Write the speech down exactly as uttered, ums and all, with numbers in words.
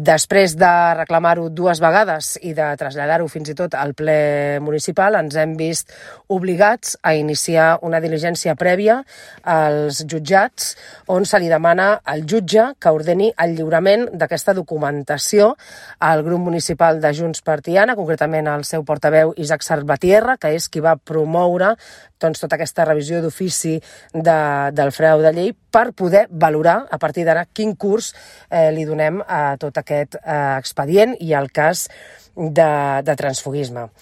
Després de reclamar-ho dues vegades i de traslladar-ho fins i tot al ple municipal, ens hem vist obligats a iniciar una diligència prèvia als jutjats on se li demana al jutge que ordeni el lliurament d'aquesta documentació al grup municipal de Junts per Tiana, concretament al seu portaveu Isaac Salvatierra, que és qui va promoure doncs, tota aquesta revisió d'ofici de, del frau de llei per poder valorar a partir d'ara quin curs eh, li donem a tot aquest eh, expedient i al cas de, de transfuguisme.